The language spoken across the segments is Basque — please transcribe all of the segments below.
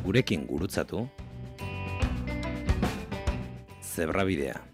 gurekin gurutzatu, Zebrabidea.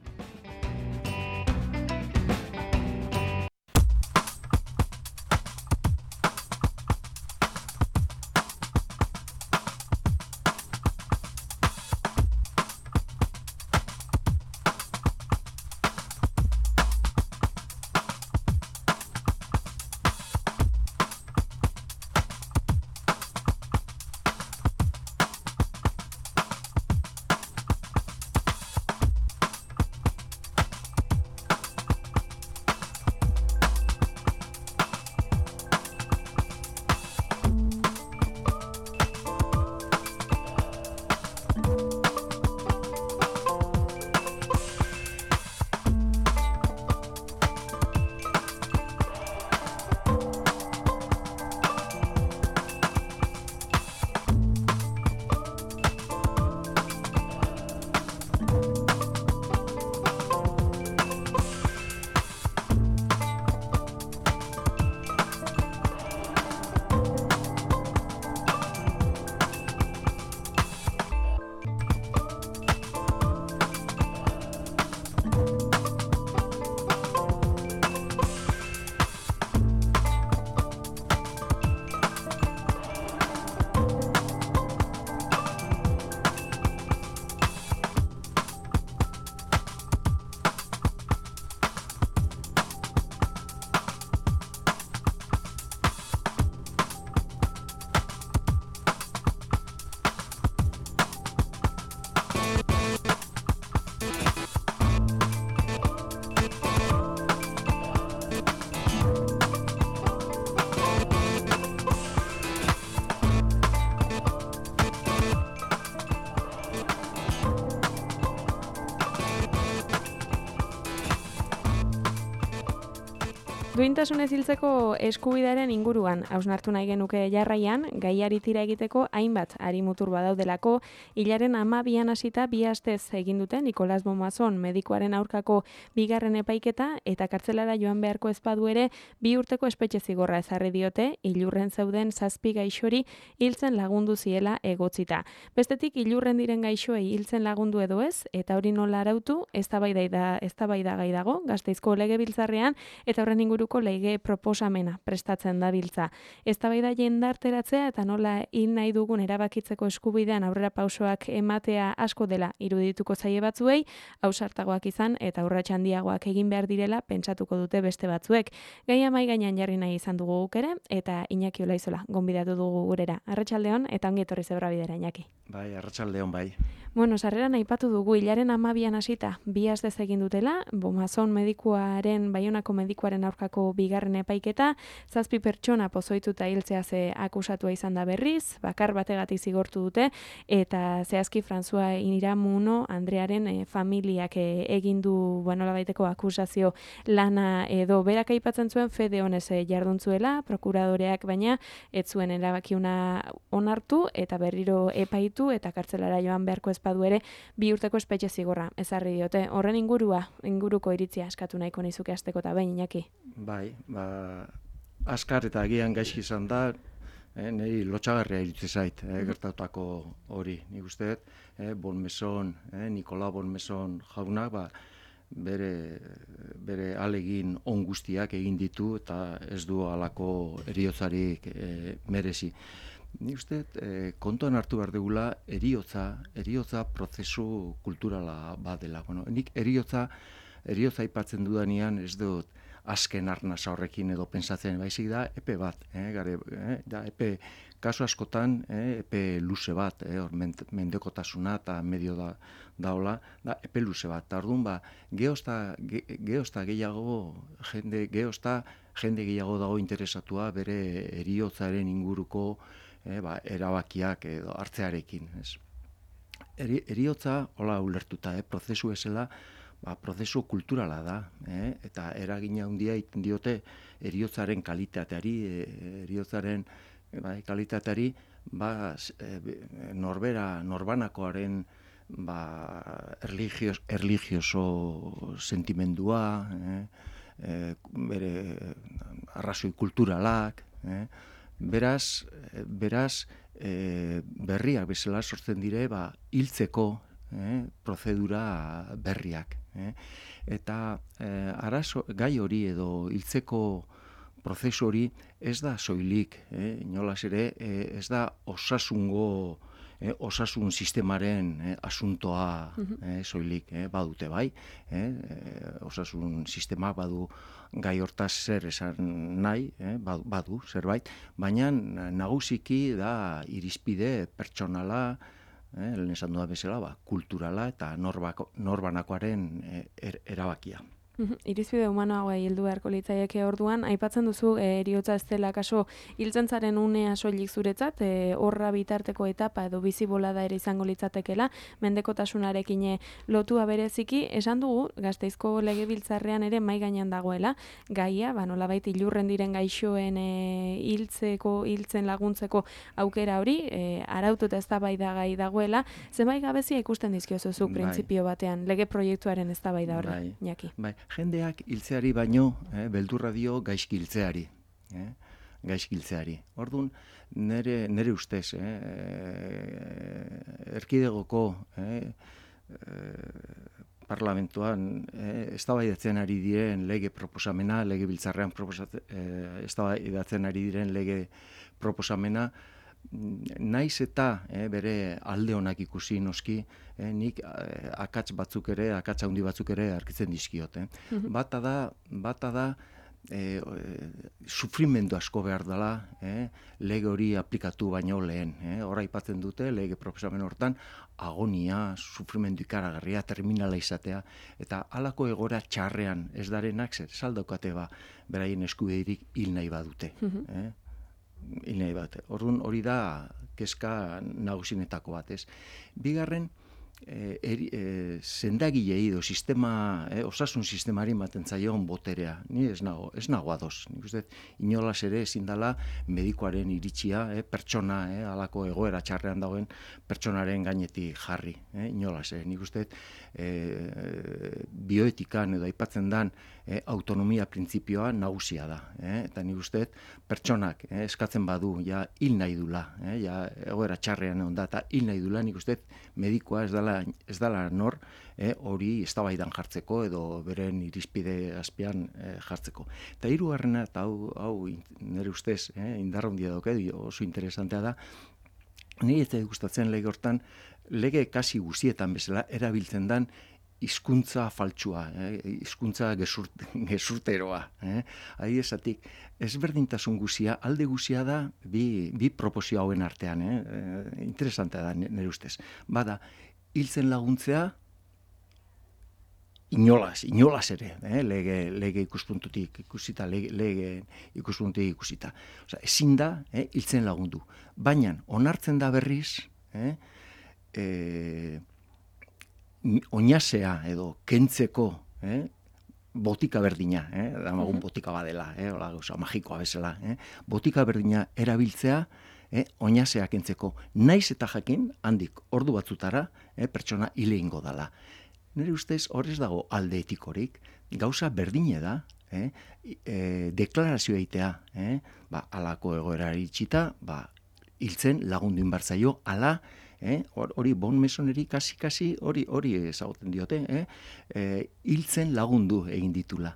Duintasunez hiltzeko eskubidearen inguruan hausnartu nahi genuke jarraian, gaiari tira egiteko hainbat arimutur badaudelako, hilaren 12an hasita 2 astez egin dute Nicolas Bonmason medikuaren aurkako bigarren epaiketa eta kartzelara joan beharko ez badu ere 2 urteko espetxe zigorra ezarri diote ilurren zeuden 7 gaixori hiltzen lagundu ziela egotzita. Bestetik ilurren diren gaixoei hiltzen lagundu edo ez eta hori nola arautu eztabaidagai dago Gasteizko Legebiltzarrean eta horren inguruko lege proposamena prestatzen dabiltza. Eztabaida jendarteratzea eta nola hil nahi dugun erabakitzeko eskubidean aurrera pausoak ematea asko dela irudituko zaie batzuei, ausartagoak izan eta urrats handiagoak egin behar direla pentsatuko dute beste batzuek. Gaia mahai gainean jarri nahi izan dugu guk ere eta Iñaki Olaizola gonbidatu dugu gurera. Arratsaldeon eta ongi etorri Zebrabidera, Iñaki. Bai, arratsaldeon bai. Bueno, sarreran aipatu dugu hilaren 12an hasita 2 astez egin dutela, Bonmason medikuaren, Baionako medikuaren aurkako bigarren epaiketa, 7 pertsona pozoituta hiltzea ze akusatua izan da berriz, bakar bategatik zigortu dute, eta zehazki François Iramuno Andrearen familiak egin du nolabaiteko akusazio lana edo berak aipatzen zuen fede honez jarduntzuela, prokuradoreak baina ez zuen erabakiuna onartu eta berriro epaitu eta kartzelara joan beharko ez badu ere 2 urteko espetxe zigorra ezarri diote. Horren inguruko iritzia eskatu nahiko nizuke hasteko eta behin, Iñaki. Bai, askar eta agian gaizki izan da, niri lotxagarria iritsi zait, gertatutako hori. Nik uste dut, Bonmason, Nicolas Bonmason jaunak, bere alegin on guztiak egin ditu eta ez du halako heriotzarik merezi. Nik uste kontuan hartu behar dugula heriotza prozesu kulturala badela. Nik heriotza aipatzen dudanean ez dut azken arnasa horrekin edo pentsatzen, baizik da epe bat, da epe kasu askotan epe luze bat, mendekotasuna eta medio daola, da epe luze bat. Ta orduan geozta gehiago jende gehiago dago interesatua bere heriotzaren inguruko erabakiak edo hartzearekin, ez. Heriotza hola ulertuta, prozesu bezala, prozesu kulturala da, eta eragina handia egiten diote heriotzaren kalitateari, heriotzaren kalitateari, norbanakoaren erlijioso sentimendua, bere arrazoi kulturalak, Beraz, berriak bezala sortzen dire, hiltzeko prozedura berriak. Eta gai hori edo hiltzeko prozesu hori ez da soilik, inolaz ere, ez da osasun sistemaren asuntoa soilik, badute bai, osasun sistemak badu gai hortaz zer esan nahi, badu zerbait, baina nagusiki da irizpide pertsonala, lehen esan duda bezala, kulturala eta norbanakoaren erabakia. Irizpide humanoa heldu beharko litzaieke orduan, aipatzen duzu heriotza ez dela kaso hiltzen zaren unea soilik zuretzat, horra bitarteko etapa edo bizi bolada ere izango litzatekela, mendekotasunarekin lotua bereziki, esan dugu Gasteizko Legebiltzarrean ere mahai gainean dagoela, gaia, nolabait ilurren diren gaixoen hiltzen laguntzeko aukera hori, arautu eta eztabaidagai dagoela, zenbait gabezia ikusten dizkiozuzuk printzipio batean, lege proiektuaren eztabaida horri, Iñaki. Jendeak hiltzeari baino, beldurra dio gaizki hiltzeari. Orduan, nire ustez, erkidegoko parlamentuan eztabaidatzen ari diren lege proposamena, Legebiltzarrean eztabaidatzen ari diren lege proposamena, naiz eta bere alde onak ikusi noski, nik akats handi batzuk ere arkitzen dizkiot. Bata da sufrimendu asko behar dela lege hori aplikatu baino lehen. Hor aipatzen dute lege proposamen hortan agonia, sufrimendu ikaragarria, terminala izatea, eta halako egoera txarrean ez darenak saldaukate beraien eskubiderik hil nahi badute. Orduan hori da kezka nagusinetako bat, ez. Bigarren, sendagilei edo osasun sistemari ematen zaion boterea. Ni ez nago ados. Nik uste, inolaz ere ezin dela medikuaren iritzia, pertsona, halako egoera txarrean dagoen pertsonaren gainetik jarri. Inolaz ere. Nik uste, bioetikan edo aipatzen dan autonomia printzipioa nagusia da. Eta nik uste, pertsonak eskatzen badu, hil nahi dula, egoera txarrean egon da, eta hil nahi dula, nik uste, medikoa ez dela nor hori eztabaidan jartzeko edo beren irizpide azpian jartzeko. Eta hirugarrena, eta hau nire ustez indar handia dauka, oso interesantea da, nire ez gustatzen lege hortan, lege kasi guztietan bezala erabiltzen dan hizkuntza faltsua, hizkuntza gezurteroa. Adiezatik, ezberdintasun guzia, alde guzia da bi proposio hauen artean. Interesantea da nire ustez. Bada, hiltzen laguntzea, inolaz ere, lege ikuspuntutik ikusita, lege ikuspuntutik ikusita. Ezin da, hiltzen lagundu. Baina, onartzen da berriz, oinasea edo kentzeko botika berdina, damagun botika badela, magikoa bezala, botika berdina erabiltzea, oinasea kentzeko. Naiz eta jakin, handik ordu batzutara, pertsona hile ingo dala. Nire ustez, horrez dago alde etikorik, gauza berdine da, deklarazio eitea, alako egoerari itxita, hiltzen lagundu inbartzaio, ala, hori bon mesoneri kasi hori ezagutzen diote, hiltzen lagundu egin ditula.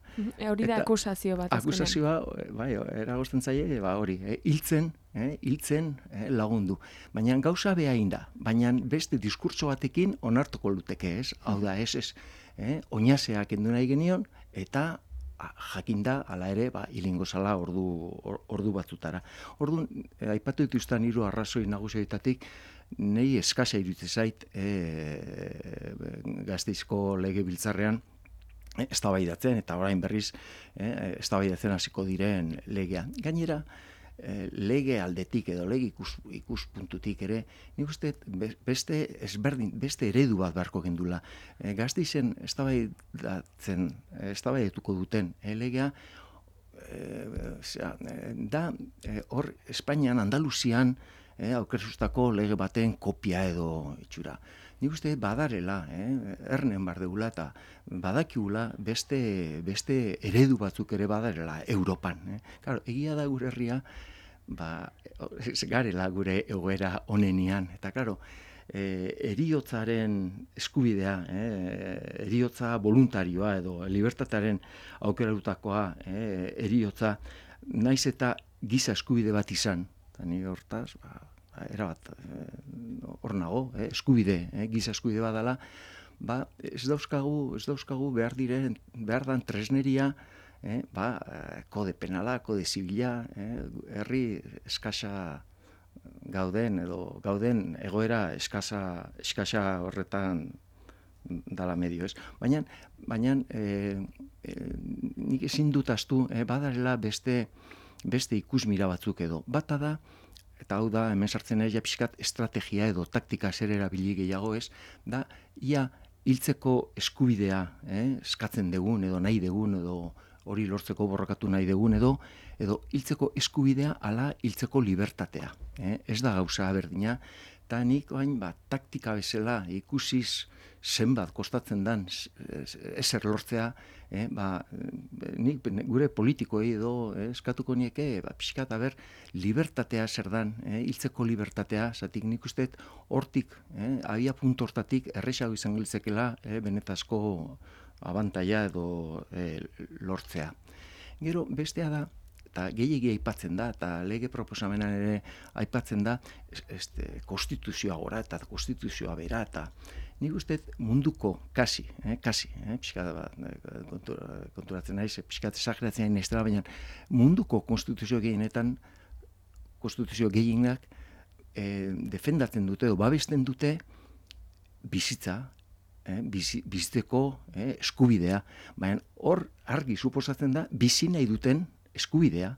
Hori da akusazio bat. Akusazioa, eragozten zaie, hori, hiltzen lagundu. Baina gauza behain da, baina beste diskurtso batekin onartuko luteke ez, hau da ez, oinasea kendu nahi genion, eta jakinda, ala ere, hilingo zala ordu batzutara. Orduan, aipatu dituzten hiru arrazoi nagusietatik, nei eskasa iruditzen zait Gasteizko Legebiltzarrean eztabaidatzen, eta orain berriz eztabaidatzen hasiko diren legea. Gainera, lege aldetik edo lege ikuspuntutik ere, nik uste beste eredu bat beharko gendula. Gasteizen eztabaidatuko duten legea, da hor Espainian, Andaluzian, aukerzustako lege baten kopia edo itxura. Nik uste badarela, ernen bardegula eta badakigula beste eredu batzuk ere badarela Europan. Claro, egia da gure herria ez garela gure egoera onenian. Eta, klaro, eriotzaren eskubidea, eriotza voluntarioa edo libertatearen aukerarutakoa, eriotza, naiz eta giza eskubide bat izan, eta ni hortaz, erabat, hor nago, eskubide, giza eskubide bat dela, ez dauzkagu behar dan tresneria, kode penala, kode zibila, herri eskasa gauden egoera eskasa horretan dala medio, ez? Baina nik ezin dut ahaztu, badarela beste ikusmira batzuk edo. Bata da, eta hau da, hemen sartzen ja pixkat estrategia edo taktika zer erabili gehiago, ez? Da, ia hiltzeko eskubidea, eskatzen dugun edo nahi dugun edo hori lortzeko borrokatu nahi dugun edo hiltzeko eskubidea ala hiltzeko libertatea. Ez da gauza berdina, eta nik taktika bezala ikusiz zenbat kostatzen dan ezer lortzea, nik gure politikoi edo eskatuko nieke, pixkat libertatea zer dan, hiltzeko libertatea, zatik nik uste hortik, abia puntu hortatik erresago izan giltzekela benetazko abantaia edo lortzea. Gero, bestea da, eta gehiagia aipatzen da, eta lege proposamenan ere aipatzen da, konstituzioa gora eta konstituzioa bera, eta nik uste munduko, kasi, konturatzen naiz, pixkat esageratzen nahi nestela, baina munduko konstituzio gehienak defendatzen dute edo babesten dute bizitza, bizitzeko eskubidea, baina hor argi suposatzen da bizi nahi duten eskubidea,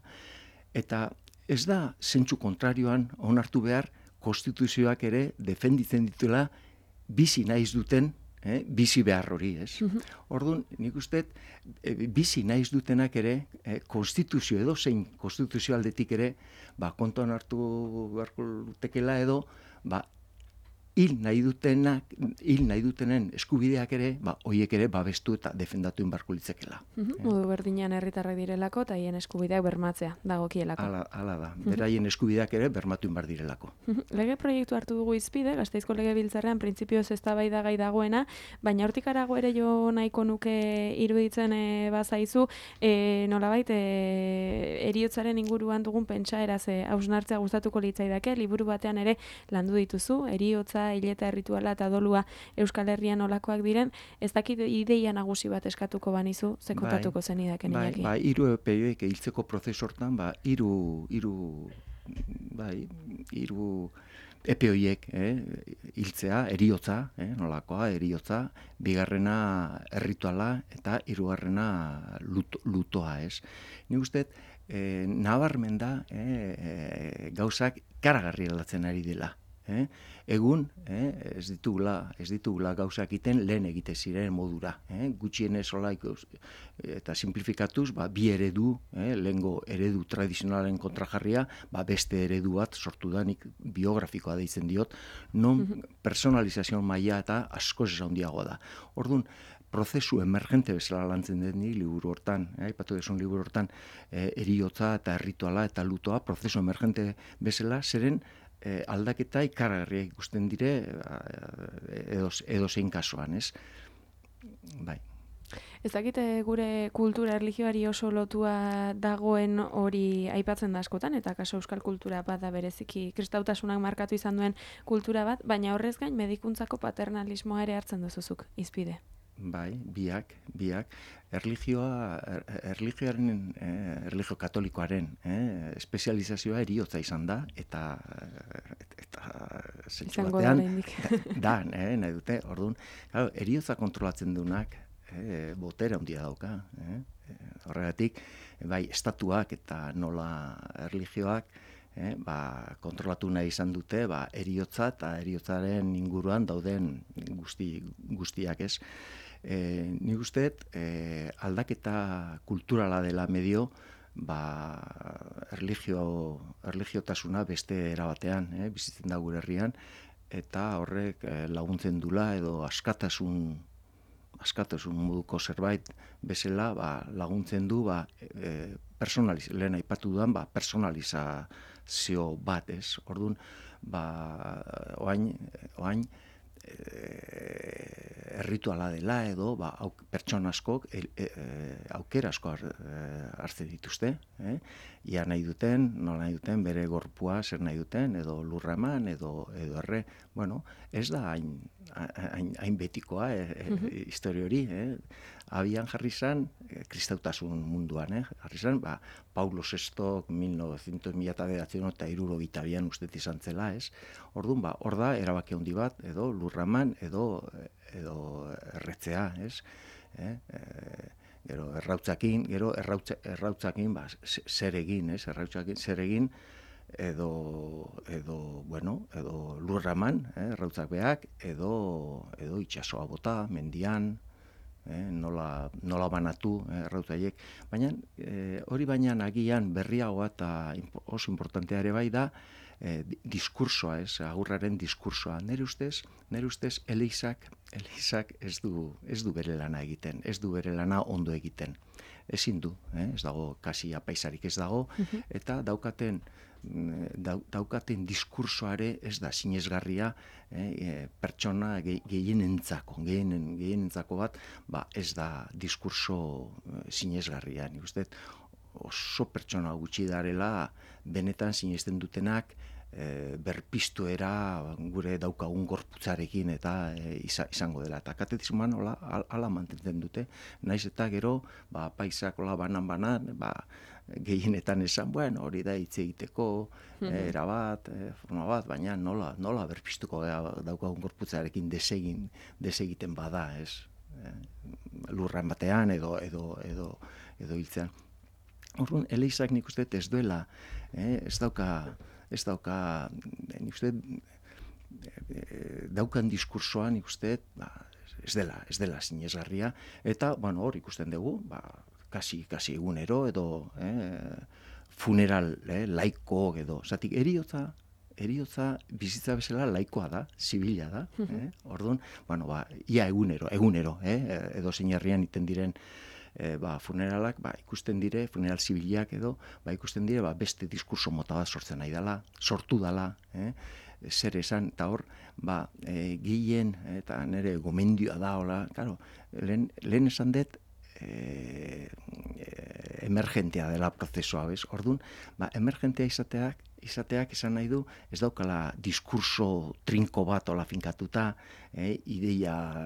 eta ez da zentsu kontrarioan onartu behar konstituzioak ere defenditzen dituela bizi naiz duten bizi behar hori, ez? Orduan, nik uste bizi naiz dutenak ere konstituzio edo zein konstituzio aldetik ere kontuan hartu beharko lutekela edo hil nahi dutenen eskubideak ere, horiek ere babestu eta defendatu inbarko litzekela. Modu berdinean herritarrak direlako eta haien eskubideak bermatzea dagokielako. Hala da, beraien eskubideak ere bermatu inbar direlako. Lege proiektu hartu dugu izpide, Gasteizko Legebiltzarrean printzipioz eztabaidagai dagoena, baina hortik harago ere jo nahiko nuke iruditzen bazaizu, nolabait heriotzaren inguruan dugun pentsaeraz hausnartzea gustatuko litzaidake, liburu batean ere landu dituzu, heriotza, hileta errituala eta dolua Euskal Herrian olakoak diren, ez dakit ideia nagusi bat eskatuko banizu, ze kontatuko zenidaken Iñaki. Hiru epeioek hiltzeko prozesu hortan, hiru epe horiek hiltzea, heriotza, nolakoa, heriotza, bigarrena errituala eta hirugarrena lutoa, ez. Nik uste, nabarmen da gauzak karagarri aldatzen ari dela. Egun, ez ditugula gauzak egiten lehen egite ziren modura. Gutxienez eta simplifikatuz, bi eredu, lehengo eredu tradizionalen kontrajarria, beste eredu bat sortu da, nik biografikoa deitzen diot, non personalizazio maila eta askoz handiagoa da. Orduan, prozesu emergente bezala lantzen den liburu hortan, aipatu desun liburu hortan, heriotza eta errituala eta lutoa, prozesu emergente bezala, zeren aldaketa ikaragarria ikusten dire edo zein kasuan, ez? Bai. Ez dakite gure kultura erlijioari oso lotua dagoen hori aipatzen da askotan, eta kaso euskal kultura bat da bereziki kristautasunak markatu izan duen kultura bat, baina horrez gain medikuntzako paternalismoa ere hartzen duzuzuk, izpide. Bai, biak. Erlijio katolikoaren espezializazioa heriotza izan da, eta zentsu batean da, nahi dute, orduan, heriotza kontrolatzen duenak botera handia dauka. Horregatik, bai, estatuak eta nola erlijioak kontrolatu nahi izan dute heriotza eta heriotzaren inguruan dauden guztiak, ez. Nik uste, aldaketa kulturala dela medio, erlijiotasuna beste erabatean, bizitzen da gure herrian, eta horrek laguntzen dula edo askatasun moduko zerbait bezala laguntzen du lehen aipatu dudan personalizazio interpretazio bat, ez? Orduan, oain errituala dela edo pertsona askok aukera asko hartzen dituzte, ia nahi duten, nola nahi duten, bere gorpua zer nahi duten, edo lurra eman, edo erre, bueno, ez da hain betikoa historia hori, abian jarri zan, kristautasun munduan, jarri zan, Paulo VI 1900 ustet izan zela, ez? Orduan, hor da, erabaki handi bat, edo lurraman, edo erretzea, ez? Gero errautzakin, zer egin, ez? Errautzakin, zer egin, edo lurraman, errautzak beak, edo itsasoa bota, mendian, nola banatu errautzaiek. Baina, hori baina agian berriagoa eta oso importantea ere bai da, diskursoa, agurraren diskursoa. Nere ustez, Elizak ez du bere lana egiten, ez du bere lana ondo egiten. Ezin du, ez dago, kasi apaisarik ez dago, eta daukaten diskursoare ez da sinesgarria pertsona gehienentzako bat, ez da diskurso sinesgarria. Nik uste, oso pertsona gutxi darela benetan sinesten dutenak berpiztuera gure daukagun gorputzarekin eta izango dela. Eta katekismoan hala mantentzen dute, naiz eta gero paisak banan, gehienetan esan, hori da hitz egiteko, erabat, forma bat, baina nola berpiztuko daukagun gorputzarekin desegiten bada, ez? Lurran batean edo hiltzean. Orduan, Elizak nik uste ez duela, ez dauka, nik uste, daukan diskursoan nik uste, ez dela sinesgarria, eta, hor ikusten dugu, kasi egunero, edo funeral laiko, edo, zatik, eriotza bizitza bezala laikoa da, zibila da, orduan, ia egunero, edo zein herrian iten diren funeralak, ikusten dire, funeral zibilak edo, ikusten dire, beste diskurso mota bat sortu dala, zer esan, eta hor, gehien, eta nire gomendioa da, hola, claro, lehen esan dut, emergentea dela prozesua, bez? Orduan, emergentea izateak esan nahi du, ez daukala diskurso trinko bat ola finkatuta, ideia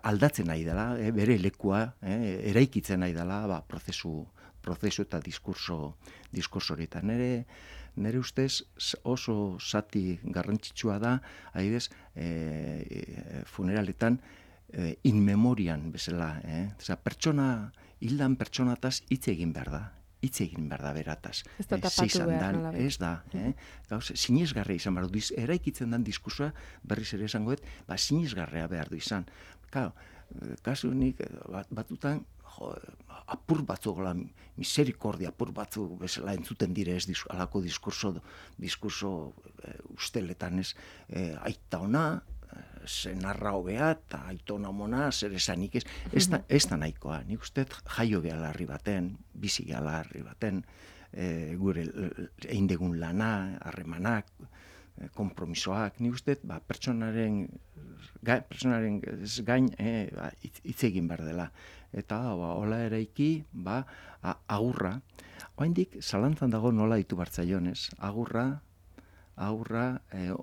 aldatzen nahi dela, bere lekua, eraikitzen nahi dela, prozesu eta diskurso horietan. Nere ustez oso zati garrantzitsua da, adibidez, funeraletan, in memorian bezala, pertsona, hildan pertsonataz hitz egin behar da berataz. Ez da tapatu behar, nola behar. Ez da, sinesgarria izan behar du, eraikitzen den diskursoa, berriz ere esango dut, sinesgarria behar du izan. Claro, kasu nik batutan, apur batzuk, miserikordia apur batzuk bezala entzuten dire ez alako diskurso usteletan ez, aita ona, senarra hobea eta aitona mona, zer esanik ez da nahikoa. Nik uste jaio gehala harri baten, bizi gehala harri baten, gure eindegun lana, harremanak, konpromisoak, nik uste pertsonaren gain hitz egin behar dela. Eta hola eraiki, agurra. Oraindik zalantzan dago nola ditu bartzaionez. Agurra,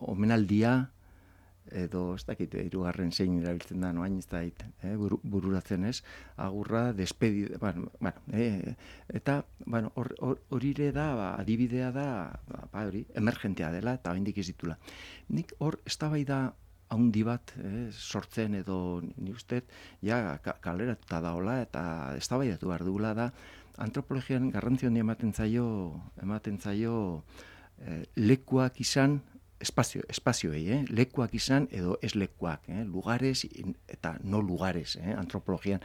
omenaldia, edo ez dakit, hirugarren zein erabiltzen da, noain ez dakit, bururatzen ez, agurra, despedida, eta, hori ere da, adibidea da, hori, emergentea dela, eta oraindik ez ditula. Nik hor, eztabaida handi bat sortzen, edo nik uste, kaleratuta daola, eta eztabaidatu behar dugula da, antropologian garrantzia handi ematen zaio lekuak izan, espazioei, lekuak izan edo ez lekuak, lugares eta no lugares, antropologian.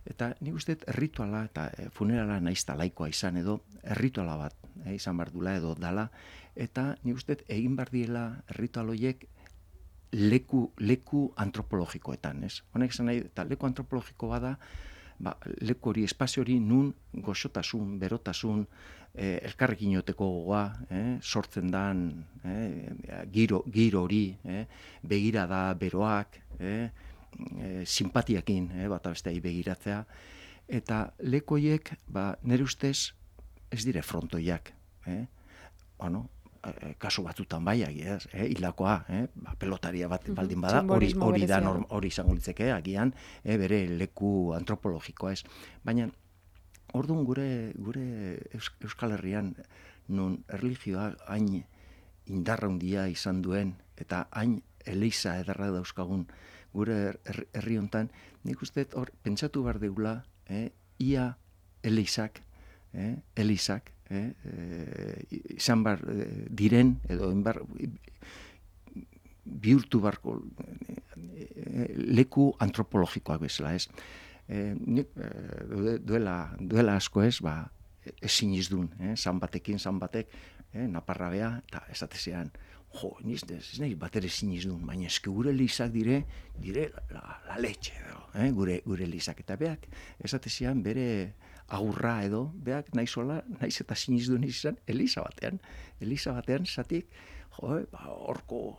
Eta nik uste errituala eta funerala naizta laikoa izan edo errituala bat izan behar dula edo dala, eta nik uste egin behar diela erritual horiek leku antropologikoetan, ez? Honek esan nahi, eta leku antropologiko bada, leku hori, espazio hori nun goxotasun, berotasun, elkarrekin joteko gogoa, sortzen dan, giro hori, begirada, beroak, simpatiakin, bata besteai begiratzea, eta leku horiek, nire ustez, ez dire frontoiak, kasu batzutan bai, hilakoa, pelotaria bat baldin bada, hori izango litzeke, agian, bere leku antropologikoa ez. Baina, orduan gure Euskal Herrian, nun erlijioa hain indarra handia izan duen, eta hain eliza ederra dauzkagun gure herri hontan, nik uste hor, pentsatu behar deula, ia elizak, izan bar diren, edo bihurtu barko leku antropologikoak bezala, ez? Duela asko ez, ezin izdun, zan batek, naparra bea, eta esatezean, ez nahi bat ere ezin izdun, baina eske gure elizak dire la leche, gure elizak, eta beak, esatezean bere agurra edo, beak naiz eta sinizdun izan, eliza batean, zatik, horko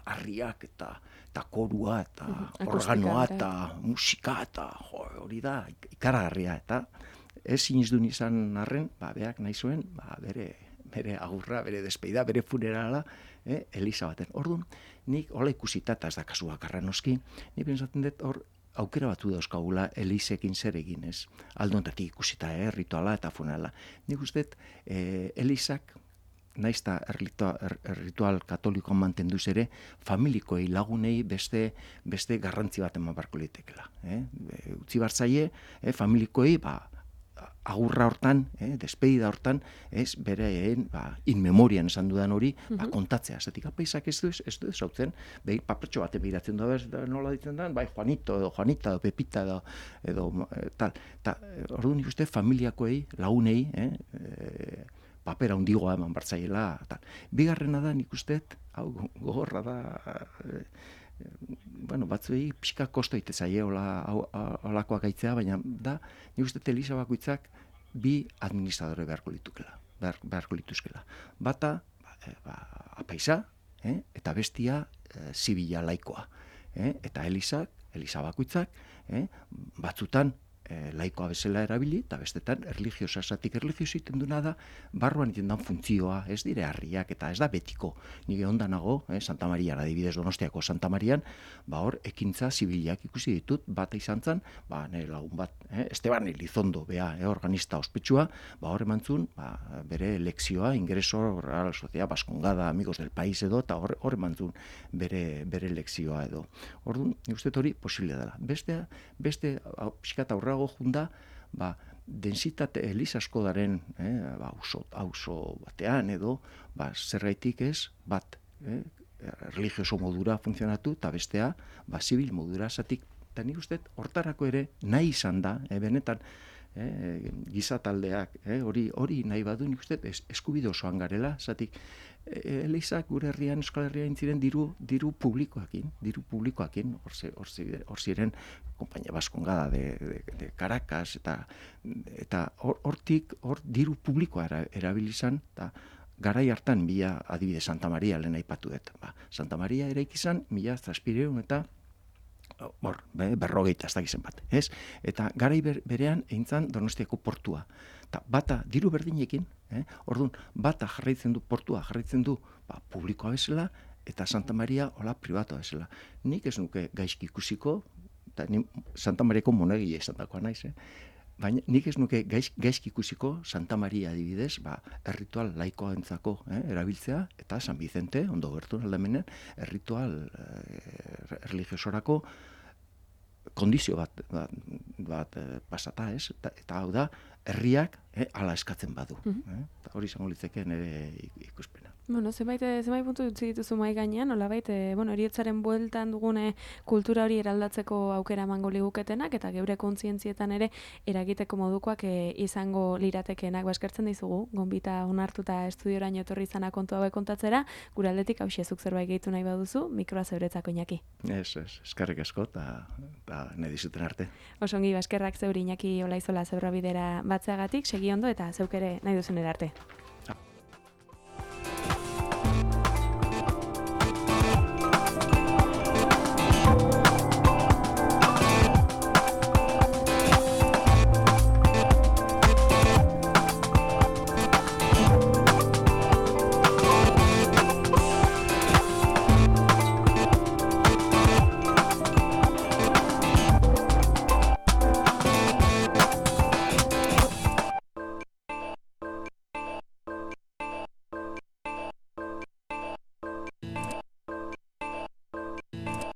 harriak eta korua, eta organoa, eta musika, eta hori da, ikaragarria, eta ez sinizdun izan arren, beak nahi zuen, bere agurra, bere despeida, bere funerala, eliza batean. Orduan, nik hola ikusita, eta ez da kasu bakarra noski, nik pentsatzen dut hor, aukera batu dauzkagula elizekin zer egin, ez? Aldontatik ikusita, rituala eta funerala. Nik uste, elizak, naizta ritual katolikoan mantenduz ere, familikoei lagunei beste garrantzi bat eman barko litekela. Utzi bartzaie, familikoei, agurra hortan, despedida hortan, ez bereen, in memorian esan dudan hori, kontatzea. Zatik, apaisak ez du esautzen, papertxo baten behiratzen du, nola ditzen da, Juanito, edo Juanita, edo Pepita, edo tal. Orduan nik uste, familiakoei, lagunei, papera hundigoa eman bartzaiela. Bigarrena da, nik uste, hau gogorra da, batzuei pixka kosto itezaie olakoak aitzea, baina da, nik uste eliza bakoitzak bi administradore beharko lituzkela. Bata, apaisa, eta bestia zibila laikoa. Eta eliza bakoitzak, batzutan laikoa bezala erabili, eta bestetan erlijiosa, zatik erlijiosa iten duna da, barruan iten dan funtzioa, ez dire harriak, eta ez da betiko. Nire ondanago, Santa Marian, adibidez Donostiako Santa Marian, hor, ekintza zibilak ikusi ditut, bat izan zen, nire lagun bat, Esteban Elizondo, organista ospetsua, hor emantzun, bere lekzioa, ingreso, Real Sociedad Baskongada, Amigos del País edo, eta hor emantzun bere lekzioa edo. Orduan, nik uste hori posible dela. Beste, pixkat aurrago junda, densitate eliz asko daren, auzo batean edo, zergaitik ez, bat, religioso modura funtzionatu, eta bestea, zibil modura, zatik, eta nik uste, hortarako ere, nahi izan da, benetan, gizataldeak, hori nahi badu, nik uste, eskubide osoan garela, zatik, elizak gure herrian, Euskal Herrian ziren diru publikoakin, hor ziren, Kompainia Baskongada de Caracas, eta hortik, hor diru publikoa erabilizan, eta garai hartan, adibide Santa Maria lehen aipatu dut. Santa Maria eraik izan, 1000 eta berrogeita, ez dakizen bat. Eta garai berean eintzan Donostiako portua. Bata diru berdinekin, orduan, bata jarraitzen du portua, jarraitzen du publikoa bezala, eta Santa Maria hola pribatua bezala. Nik ez nuke gaizki ikusiko, eta Santa Mariako monegile izan dakoa naiz, baina nik ez nuke gaizki ikusiko Santa Maria adibidez, erritual laikoa entzako erabiltzea, eta San Vicente, ondo gertu aldamenean, erritual religiosorako kondizio bat pasata, eta hau da, herriak ala eskatzen badu. Hori izango litzeke nire ikuspena. Bueno, zenbait puntu utzi dituzu mahai gainean, nolabait, heriotzaren bueltan dugune kultura hori eraldatzeko aukera emango liguketenak eta geure kontzientzietan ere eragiteko modukoak izango liratekeenak. Eskertzen dizugu, gonbita onartuta estudioraino etorri izana kontu hauek kontatzera, gure aldetik hauxezuk zerbait gehitu nahi baduzu, mikroa zeuretzako Iñaki. Eskerrik asko eta nahi dizuten arte. Osongi, eskerrak zeuri Iñaki Olaizola Zebrabidera batzeagatik, segi ondo eta zeuk ere nahi duzunera arte.